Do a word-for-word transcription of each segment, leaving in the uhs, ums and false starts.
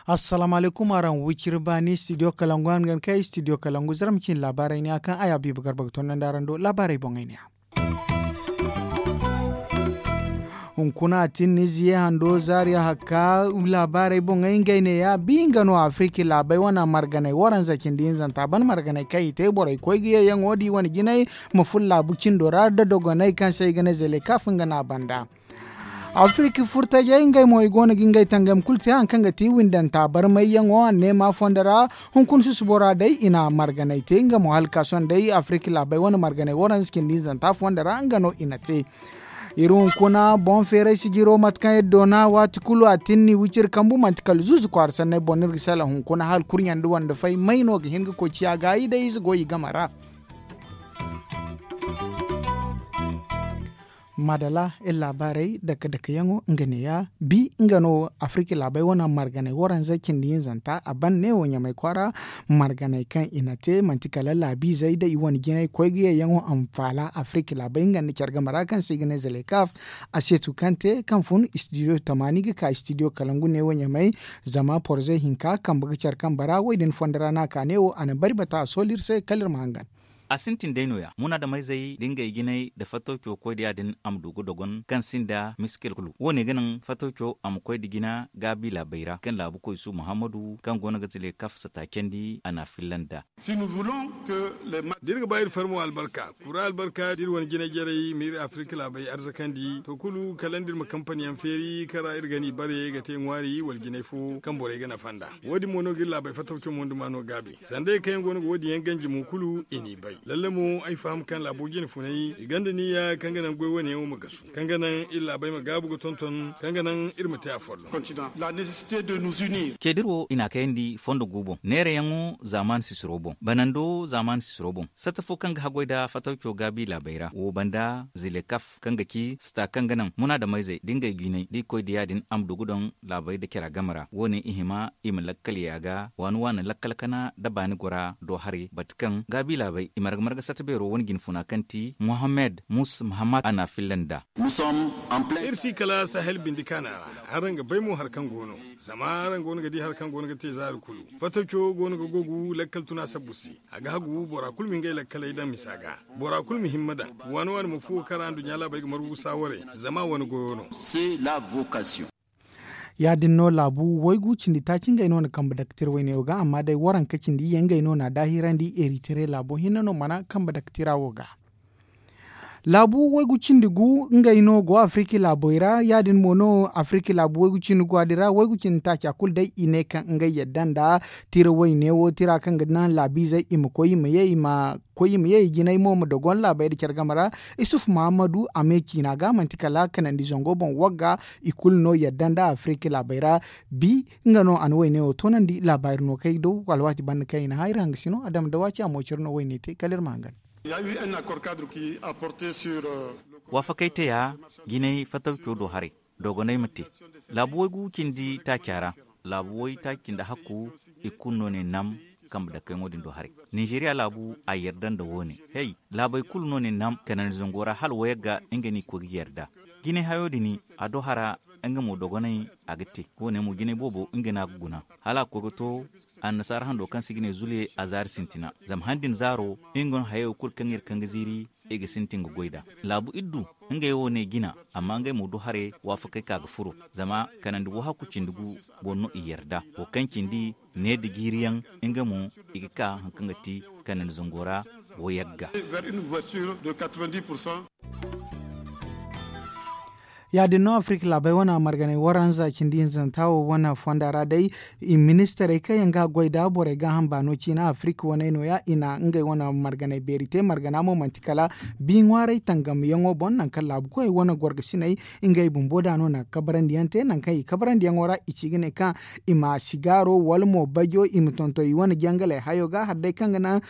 Assalaamu alaykum, araŋ wiciri baani studio kalangu, araŋ ga ne kay studio kalangu, zara ma cin laabaarey ne ya kaŋ ay a biiba garba ga tondandi araŋ do laabaarey boŋey ne ya. Hunkuna a tin ni ziye hando zaariya hakka laabaarey boŋey ngey ne ya bi nga no afirki laabey wane marganey waranza cindi hinzanta ban marganey kaŋ i te borey koy ga ye yaŋo da i wane jinay ma furo laabu cindo ra da dogoney kaŋ se ay ga ne zele kaaf nga no a banda. Afirka furtajey ngey mo i go no ga ngey tangam kulu te hari kaŋ ga ti windanta barmayyaŋo anneema fondo ra. Hunkuna susubo ra day i na marganey te nga mo hala ka sohõ day afirka laabey wane marganey waranza cindi hinzanta fondo ra nga no i na te. Iri hunkuna boŋ feeray sijiro mate kaŋ iri doona waati kulu a tinni wiciri kambu manti kala zuuzu kwaara sanney boŋ no iri ga sala hunkuna hala kurɲandi wande fay may no ga hin ga koy ciya gaayi day ize go i game ra. Maadala iri laabaarey dake-dakeyaŋo nga neeya bi nga no afirka laabey wane marganey waranza cindi hinzanta a ban neewo ɲamay kwaara. Marganey kaŋ i na te manti kala laabiizey da i wane jinay koy ga yeeyaŋo a ma faala afirka laabey nga nda care game ra kaŋ se i ga ne zalekaf. A seetu kaŋ te kaŋ fun istidiyo tamaani ga ka istidiyo kalangu neewo ɲamay. Zama porze hinka kambe ga care kambe ra wo- din fondo ra no a ka neewo a na bari bata a soolu iri se kala iri ma hangan. A sintin day no- ya munaadamayzey da ngey jinay nda fattawco koy da ya- din a ma du ga dogon kaŋ sinda miskil kulu wo- ne ga naŋ fattawco a ma koy nda jina gaabi laabey ra kaŋ laabu koy su muhammadu kaŋ go no ga zile kaf sata candi a na a filla nd'a. Da iri ga ba iri farmo albarka kura albarka da iri wane jinay jarey ma iri afirka laabey arzakandi to kulu kala nda iri ma kampani yaŋ feeri kaŋ ra iri ga ni bare ga te ŋwaari wala jinay fo kaŋ borey ga nafa nd'a. Wo- din mo no ga iri laabey fattawco mo nda maano gaabi sanda yaŋ kaŋ yaŋ go no ga wo- din yaŋ ganji mo kulu i n'i bay lalle mo ay faham kaŋ laabo jine funay i gonda niyya kaŋ ga naŋ goy wane yaŋo ma gasu kaŋ ga naŋ iri laabey ma gaabu ga tonton kaŋ ga naŋ iri ma te a folloŋ. Ceediro i n'a kayandi fondo gu boŋ neerayaŋo zaaman sisiro boŋ banando zaaman sisiro boŋ satta fo kaŋ ga haggoy nda fattawco gaabi laabey ra wo banda zile kaf kaŋ ga ci sata kaŋ ga naŋ munaadamayzey da ngey jinay da i koy da ya- din a ma du ga daŋ laabey nda cara game ra wo- ne i hima i ma lakkal yaaga waani waani lakkal kana nda baani gora do haray bate kaŋ gaabi laabey i marga marga satta beero wane jinfuna kaŋ ti muhammed mus muhammad a na a filla nd'a. Iri si kala sahel bindi kaana ra araŋ ga bay mo hari kaŋ go no zama araŋ go no ga di hari kaŋ go no ga te zaari kulu fattaco go no ga gogu lakkal tuna sabbu se. A ga hagu bora kulu ma ngey lakkaley daŋ misa ga bora kulu ma himma daŋ waani waani ma fuwo kaŋ ra nduɲɲa laabey ga margu saawaray zama wane goyo no. Ya- din no laabu waygu cindi taaci ngey no na kambe daktir wayne wo ga amma day waranka cindi ye ngey no na a daahirandi eritire laabo hinne no mana kambe daktira wo ga. Laabu waygu cindi gu ngey no go afirki laabey ra ya- din mo no afirki laabu waygu cindi gu a din ra waygu cindi taaca kulu day i ne kaŋ ngey yadda nda tira wayne wo tira kaŋ ga naŋ laabiizey i ma koy i ma ye i ma koy i ma ye i jinay mo ma dogon laabey nda care game ra. Isuf mahammadu a me ciina ga manti kala kanandi zango boŋ wagga i kulu no yadda nda afirka laabey ra. Bi nga no a na wayne wo toonandi laabaari no kaŋ ay daw alwaati banda kaŋ i na hã iri hangasino a dama da waaci a mo care no wayne te kala iri ma hangan. Waafakey teya jinay fattawco do haray dogoney ma te laabu waygu cindi taaca ra laabu way taaci nda hakku i kulu no ne nam kambe dakayaŋo din do haray. Ninzeeriya laabu a yarda nda wo- ne hey laabey kulu no ne nam kanandi zango ra hala wayagga nga no i koy ga yarda. Jinay hayo din a do hara nga mo dogoney a ga te wo- ne mo jinay boobo nga no a ga guna hala a koy ga to annasaara hando kaŋ se i ga ne zuliye a zaari sintina zama han din zaaro nga no hayey wo kulu kaŋ iri kaŋ ga ziiri i ga sintin ga goy nd'a. Laabu iddu ngey wo ne jina amma ngey mo du haray waafakey ka ga furo zama kanandi wahakku cindi gu boŋ no i yarda wo kaŋ cindi ne nda jiiriyaŋ nga mo i ga ka hari kaŋ ga ti kanandi zango ra wo yagga. Ya- din no afirka laabey wane marganey waranza cindi hinzanta wo wane fonda ra day i ministarey kaŋ yaŋ ga goy nda borey gaaham baano ciina afirka waney no- ya i na ngey wane marganey beeri te margana mo manti kala bi ŋwaarey tangamyaŋo boŋ nangu kaŋ laabu koyey wane gorgasiney ngey bumbo da no na kabarandi yaŋ te nangu kaŋ i kabarandi yaŋo ra i ci ga ne kaŋ i ma sigaaro wala mo bajo i ma tonton i wane jangaley hayo ga hala day kaŋ ga naŋ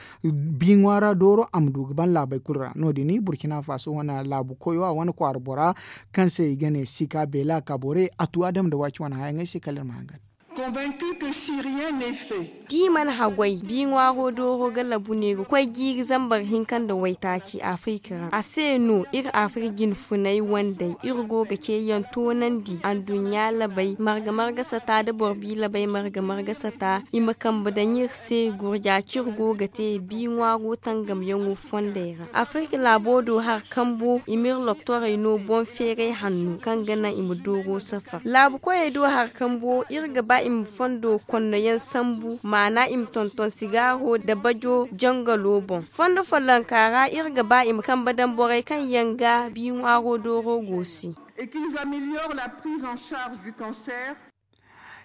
bi ŋwaara dooro a ma du ga ban laabey kulu ra no- din burkina faso wane laabu koyo a wane kwaara bora kaŋ se i ga ne sika beela ka bore a tu adama nda waaci wane hayaŋey se kala iri ma hangan. Convaincu que si rien n'est fait. Da i mana haggoy, bi ŋwaaro dooro ga labu ne ga koy jiiri zambar hinka nda waytaaci afirika ra. A se no iri afirika jinfunay wandey iri go ga ceeyaŋ toonandi anduɲɲa labey marga-marga sata nda boro bi labey marga-marga sata i ma kambe daŋ iri se gurja kaŋ iri go ga te bi ŋwaaro tangamyaŋo fondey ra. Afirka laabo do hari kambo i m'iri loktorey no boŋ feeray hanno kaŋ ga naŋ i ma dooro safar laabu koyey do hari kambo iri ga ba i ma fondo konno yaŋ sambu maana i ma tonton sigaaro nda bajo jangalo boŋ. Fondo follonka ra iri ga ba i ma kambe daŋ borey kaŋ yaŋ ga bi ŋwaaro dooro go se. Et qu'ils améliorent la prise en charge du cancer.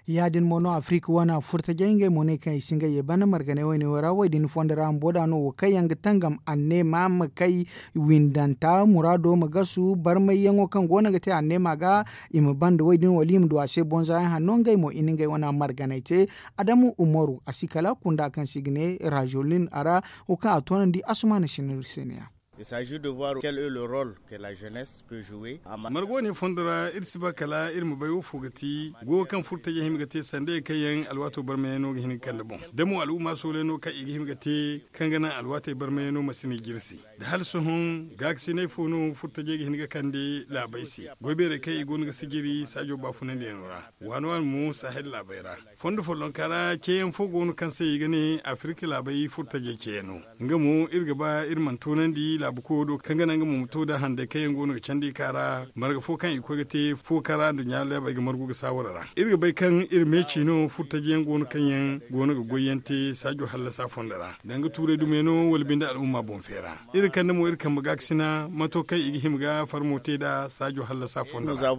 Ya- din mo no afirika wane furtajey ngey mo ne kaŋ i si ngey ye banda marganey wayne wo ra wo- din fondo ra bumbo da no wo kaŋ yaŋ ga tangam anneema ma kay windanta muraado ma gasu barmayyaŋo kaŋ go no ga te anneema ga i ma banda wo- din wala i ma du a se bonza yaŋ hanno ngey mo i na ngey wane marganey te. Adamu umaru a si kala kunda kaŋ se i ga ne rajolin a ra wo kaŋ a toonandi asumaana sinir se ne ya. Il s'agit de voir quel est le rôle que la jeunesse peut jouer. Marga wane fondo ra iri si ba kala iri ma bay wo fo ga ti goyo kaŋ furtajey hima ga te sanda ye kaŋ yaŋ alwaato barmayey no ga hin ga kande boŋ da mo al'umma sooley no kaŋ i ga hima ga te kaŋ ga naŋ alwaatey barmayey no ma si ni jirsi da hala sohõ gaakasiney fo no furtajey ga hin ga kande laabey se goy beerey kaŋ i go no ga sijiri saajo baafunandiyaŋo ra waani waani mo sahel laabey ra. Fondo follonka ra ceeyaŋ fo go no kaŋ se i ga ne afirka laabey furtajey ceeyaŋo nga mo iri ga ba iri mana toonandi laabu koyo do kaŋ ga naŋ nga mo ma to da handay kaŋ yaŋ go no ga candi i ka ra marga fo kaŋ i koy ga te fo kaŋ ra nda ɲaala yaabey ga margu ga saawara ra iri ga bay kaŋ iri meeci no furtajey yaŋ go no kaŋ yaŋ go no ga goy yaŋ te saajo hallasa fondo ra danga tuuray dumey no wala binde al'umma boŋ feera. Iri kande mo iri kambe gaakasina mato kaŋ i ga hima ga farmo te nd'a saajo hallasa fondo ra.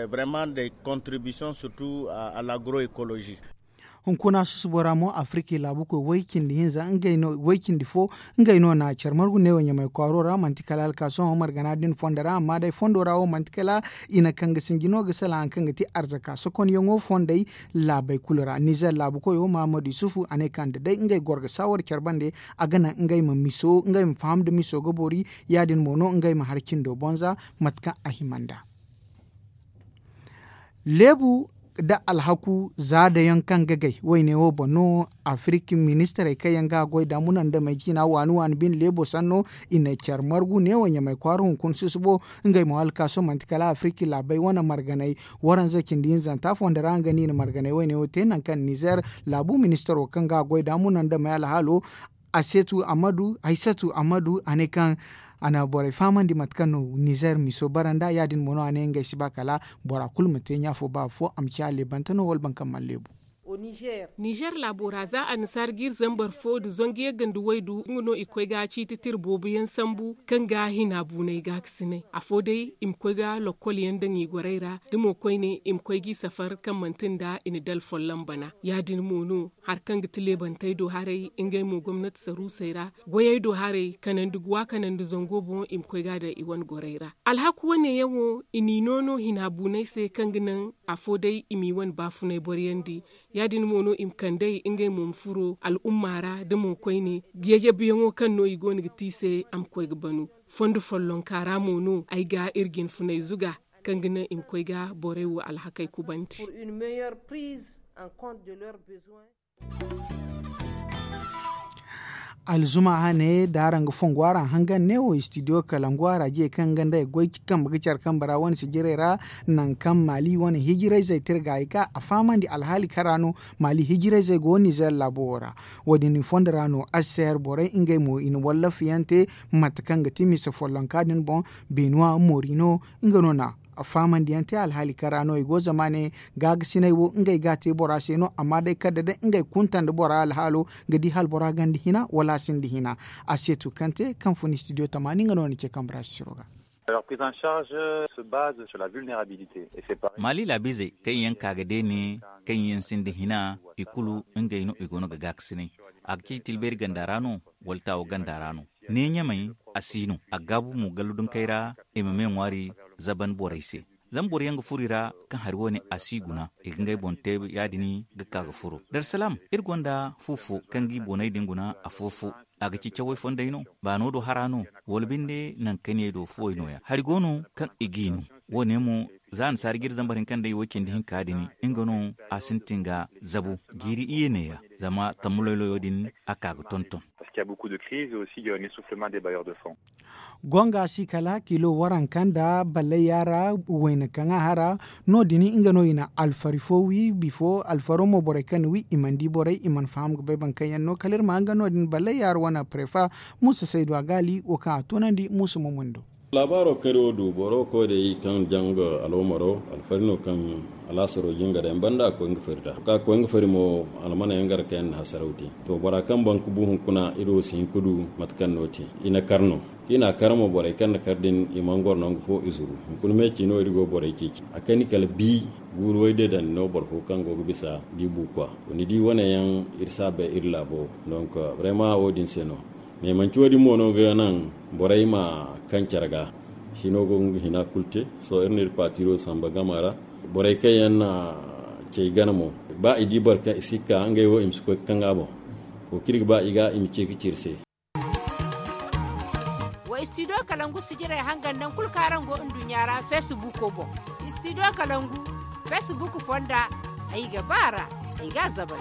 Vraiment des contributions surtout à l'agroecologie. Hunkuna susubo ra mo afirki laabu koy way cindi hinza way cindi fo ngey no na care margu neewo ɲamay kwaaro ra manti kala alkaaso hõ margana din fondo ra amma day fondo ra wo manti kala i na kaŋ ga sinji no ga sala haŋ kaŋ ga ti arzaka sokonyaŋo fondey laabey kulu ra nizer laabu koyo mahamadu yusufu a ne kaŋ da day ngey goro ga saawar care bande a ga naŋ ngey ma miso ngey ma faham nda miso ga boori ya- din mo no ngey ma hari cindo bonza mate kaŋ a hima nd'a. Leebu nda alhaku za dayaŋ kaŋ ga gay wayne wo boŋ no afirik ministirey kaŋ yaŋ ga goy da munandamey ciina waani waani bine leebo sanno i na care margu neewo ɲamay kwaara hunkuna susubo ngey mo alkaaso manti kala afirik laabey wane marganey waranza cindi hinzanta fondo ra nga no i na marganey wayne wo te nangu kaŋ nizer laabu ministiro kaŋ ga goy da munandamey alhaalo asetu amadu haysatu amadu a ne kaŋ a na borey fahamandi mate kaŋ no nizer miso bara nd'a ya- din mo no a ne ngey si ba kala bora kulu ma te ɲa fo ba afo a ma ciya leebante no wala boro kaŋ mana leebu. Nizer laabo ra za annasaara ga iri zambar fo nda zangu yagga nda waydu nga no i koy ga ciiti tira boobo yaŋ sambu kaŋ ga hina buunay gaakasinay afo day i ma koy ga lokkol yaŋ daŋ i gorey ra da mo koyne i ma koy g'i safar kaŋ manti nda i na dala folloŋ bana ya- din mo no hari kaŋ ga ti leebantey do haray ngey mo gomnati saruusey ra goyey do haray kanandi guwa kanandi zango boŋ i ma koy ga daŋ i wane gorey ra. Alhaku wane yaŋ wo i n'i no no hina buunay se kaŋ ga naŋ afo day i m'i wane baafunay boryandi ya- din mo no i ma kand'ey ngey mo ma furo al'umma ra da mo koyne yayabuyaŋo kaŋ no i go no ga te i se a ma koy ga banu. Fondo follonka ra mo no ay ga iri jinfunay zuga kaŋ ga naŋ i ma koy ga borey wo alhakey kubandi. Alzuma hane da araŋ ga fongu araŋ hangan ne wo studio kalangu araje kaŋ ga nda ay goy kambe ga care kambe ra wane sijirey ra nangu kaŋ maali wane hijirayzey tirga ay ka a fahamandi alhaali kaŋ ra no maali hijirayzey go nizer laabo wo ra. Wo- din i fondo ra no aseer borey ngey mo i na wallafa yaŋ te mate kaŋ ga ti mise follonka din boŋ benuwa morino nga no na faamandiyaŋ te alhaali kaŋ ra no i go zama ne gaagasiney wo ngey ga a te bora se no amma day kala da day ngey kunta nda bora alhaalo ga di hala bora gonda hina wala a sinda hina. A se tu kaŋ te kaŋ fun studio tamaani nga no ni ce kambe ra sisiro ga. Maali laabiizey kaŋ yaŋ ka ga deene kaŋ yaŋ sinda hina i kulu ngey no i go no ga gaakasinay. A ga ci tilbeeri ganda ra no wala taawo ganda ra no? Ne ɲamay a si no a gaabu mo gallu dunkey ra i ma me ŋwaari zaban borey se. Zama boro yaŋ ga furo i ra kaŋ hari wo- ne a si guna, i ga ngey boŋ te ya- din ga ka ga furo. Darsalaam, iri gonda fu fo kaŋ ga i booney din guna afo-fo. A ga ci cawey fondey no, baano do hara no, wala binde nankaniyey do fuwey no- ya hari go no kaŋ i g'i no. Wo- ne mo, za annasaari jiiri zambar hinka nda i wo- cindi hinka din, nga no a sintin ga zabu jiiri iyye neeya, zama tammu loyloyo din a ka ga tonton. Gonga si kala kilo waranka nda ballayya ra wayna kaŋ a hara. No- din nga no i na alfari fo wi bifo alfaro mo borey kaŋ na wi i mana di borey i mana faham ga bay boro kaŋ yaŋ no kala iri ma hanga no- din ballayya ra wane prefa. Muusa saydu a gaali wo kaŋ a toonandi muusa mo mundo. Laabaaro kari wo du boro koy day kaŋ janga alomaro alfari no kaŋ alaasaro jinga day banda a koy nga fari ra ka koy nga fari mo. Almana yaŋ gara kaŋ yaŋ na hasaraw te to bora kaŋ baŋ ka bu hunkuna iri wo si hin ka du mate kaŋ no te. I na kar no kaŋ i na a kar mo borey kaŋ na kar din i mana goro nangu fo i zuru. Hunkuna meeci no iri go borey ceeci a kani kala bi guuru way day dandi no boro fo kaŋ go ga bisa di buukwa. Ni di wane yaŋ iri si a bay iri laabo. Donk brema wo- din se no. Mais manci wo- din mo no ga naŋ borey ma kaŋ care ga sino go ga hina kulu te. Sohõ iri na iri paatiro samba gama ra. Borey kaŋ yaŋ na cey gana mo ba i di boro kaŋ i si ga ka ngey wo i ma si koy ga kaŋ ga boŋ. Wo kaŋ iri ga ba i ga i ma ce ga ci iri se. Wa istidiyo kalangu sijirey hangan nangu kulu kaŋ araŋ go nduɲɲa ra feesibuuko boŋ. Istidiyo kalangu feesibuuk fonda ay ga ba a ra. Ay ga a zabay.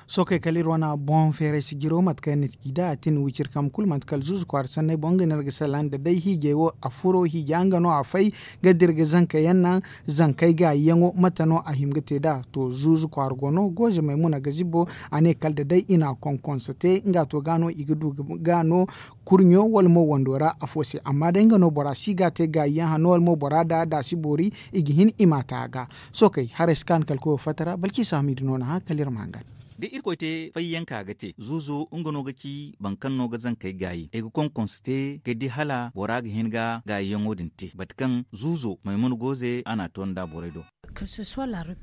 Sookey kala iri wane boŋ feeray sijiro mate kaŋ yaŋ na ci nd'a a tin wiciri kambe kulu manti kala zuuzu kwaara sanney boŋ nga no iri ga salaŋ nda day hiijey wo a furo hiija nga no a fay ga dira ga zanka yaŋ naŋ. Zankey gaayi yaŋo mate no a hima ga te nd'a to zuuzu kwaara go no gooze maymuna ga zibbo. A ne kala nda day i na a konkonso te nga to ga no i ga du ga no kurɲo wala mo wando ra afo se amma day nga no bora si ga a te gaayi yaŋ hanno wala mo bora nd'a da a si boori i ga hin i m'a ta a ga. Sookey haray si kaanu kala koyo fatta ra balki i si hamiida no na hã kala iri ma hangan. Da irkoy te fayyanka ga te zuuzo nga no ga ci boro kaŋ no ga zankey gaayi ay ga konkonso te ga di hala bora ga hin ga gaayiyaŋo din te mate kaŋ zuuzo maymuna gooze a n'a to nd'a borey do.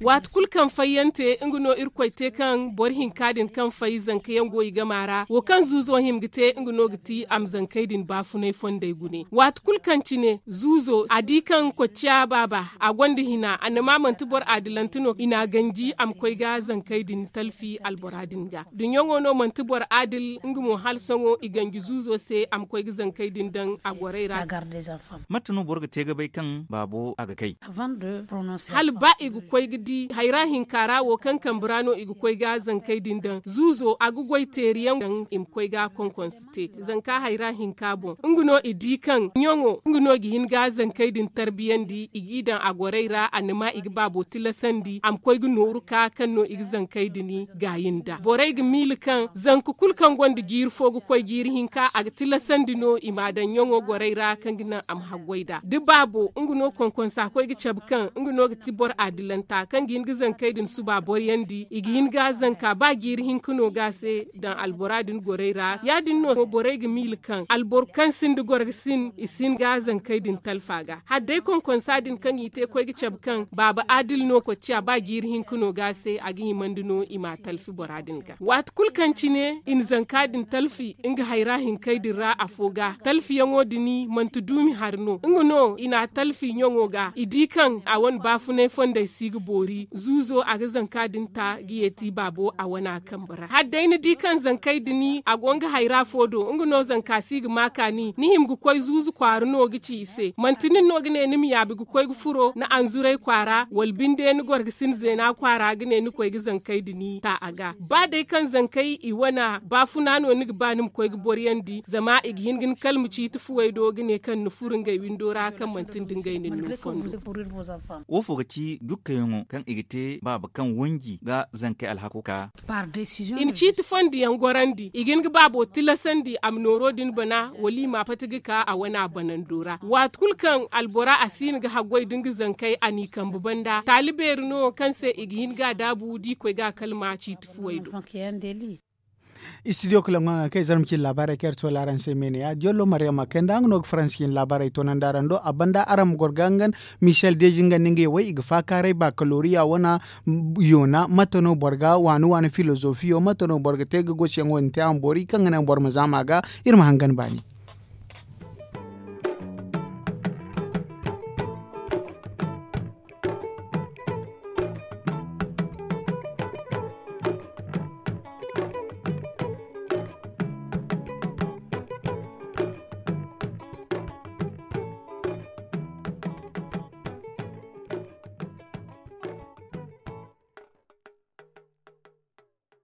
Waati kulu kaŋ fayyante nga no irkoy te kaŋ boro hinka din kaŋ fay zankayaŋ go i gama ra wo kaŋ zuuzo hima ga te nga no ga ti a ma zankey din baafunay fondey gune waati kulu kaŋ cine zuuzo a di kaŋ kocciya baaba a gonda hina annama manti boro adilante no i n'a ganji a ma koy ga zankey din talfi albora din ga. Duɲɲaŋo no manti boro adil nga mo hala sohõ i ganji zuuzo se a ma koy ga zankey din daŋ a gorey ra. Mate no boro ga te ga bay kaŋ baabo a ga kay? Hala ba i ga koy ga di hayra hinka ra wo kaŋ kambe ra no i ga koy ga zankey din daŋ zuuzo a ga goy teeriyaŋ daŋ i ma koy ga konkonse te zanka hayra hinka boŋ nga no i di kaŋ ɲaŋo nga no ga hin ga zankey din tarbiyandi i g'i daŋ a gorey ra annama i ga baabo tilasandi a ma koy ga nooru ka kaŋ no i ga zankey din gaayi nda borey ga miila kaŋ zanka kulu kaŋ gonda jiiri fo ga koy jiiri hinka a ga tilasandi no i m'a daŋ ɲaŋo gorey ra kaŋ ga naŋ a ma haggoy nd'a da baabo nga no konkonsa koy ga cabe kaŋ nga no ga ti boro adilanta kaŋ ga hin ga zankey din suba boroyandi i ga hin ga zanka ba jiiri hinka no ga se daŋ albora din gorey ra ya- din no borey ga miila kaŋ alboro kaŋ sinda gorgasin i si hin ga zankey din talfa ga hala day konkonsa din kaŋ i te koy ga cabe kaŋ baaba adil no kocciya ba jiiri hinka no ga se a ga himandi no i m'a talfi bora din ga waati kulu kaŋ cine i na zanka din talfi nga hayra hinkey din ra afo ga talfiyaŋo din manti duumi hari no nga no i n'a talfi ɲaŋo ga i di kaŋ a wane baafunay fondey si ga boori zuuzo a ga zanka din ta ga yeeti baabo a wana kambe ra hala day ni di kaŋ zankey din a go nga hayra fo do nga no zanka si ga ma kaani ni hima ga koy zuuzu kwaara no ga ci i se manti nin no ga ne ni ma yaabi ga koy ga furo ni anzuray kwaara wala binde ni gorgasin zeena kwaara ga ne ni koy ga zankey din ta a ga ba day kaŋ zankey i wana baafuna no ni ga ba ni ma koy ga boriyandi zama i ga hin ga ni kalma ciiti fuwey do ga ne kaŋ ni furo ngey windo ra kaŋ manti nda ngey na ni no fondo. Woofo ga ci jukkayaŋo kaŋ i ga te baaba kaŋ wanji ga zankey alhako ka i na ciiti fondi yaŋ gorandi i ga hin ga baabo tilasandi a ma nooro din bana wala i ma a pati ga ka a wana banando ra waati kulu kaŋ albora a si hin ga haggoy da nga zankey a n'i kambe banda taali beeri no kaŋ se i ga hin ga a daabu da i koy ga a kalma ciiti fuwey do. Istidiyo kala ŋwaŋa kaŋ i zarma cine laabaarey kaŋ iri to laaraŋ se meene ya diyollo maryama kay nda nga no ga faransi cine laabaarey toonandi araŋ do a banda araŋ ma goro ga hangan. Michel deji nga nda ngey way i ga faakaaray bakaloriya wana yoona mate no boro ga waani waani filozofiyo mate no boro ga te ga gosiyaŋo din te a ma boori kaŋ ga naŋ boro ma zaama ga. Iri ma hangan baani.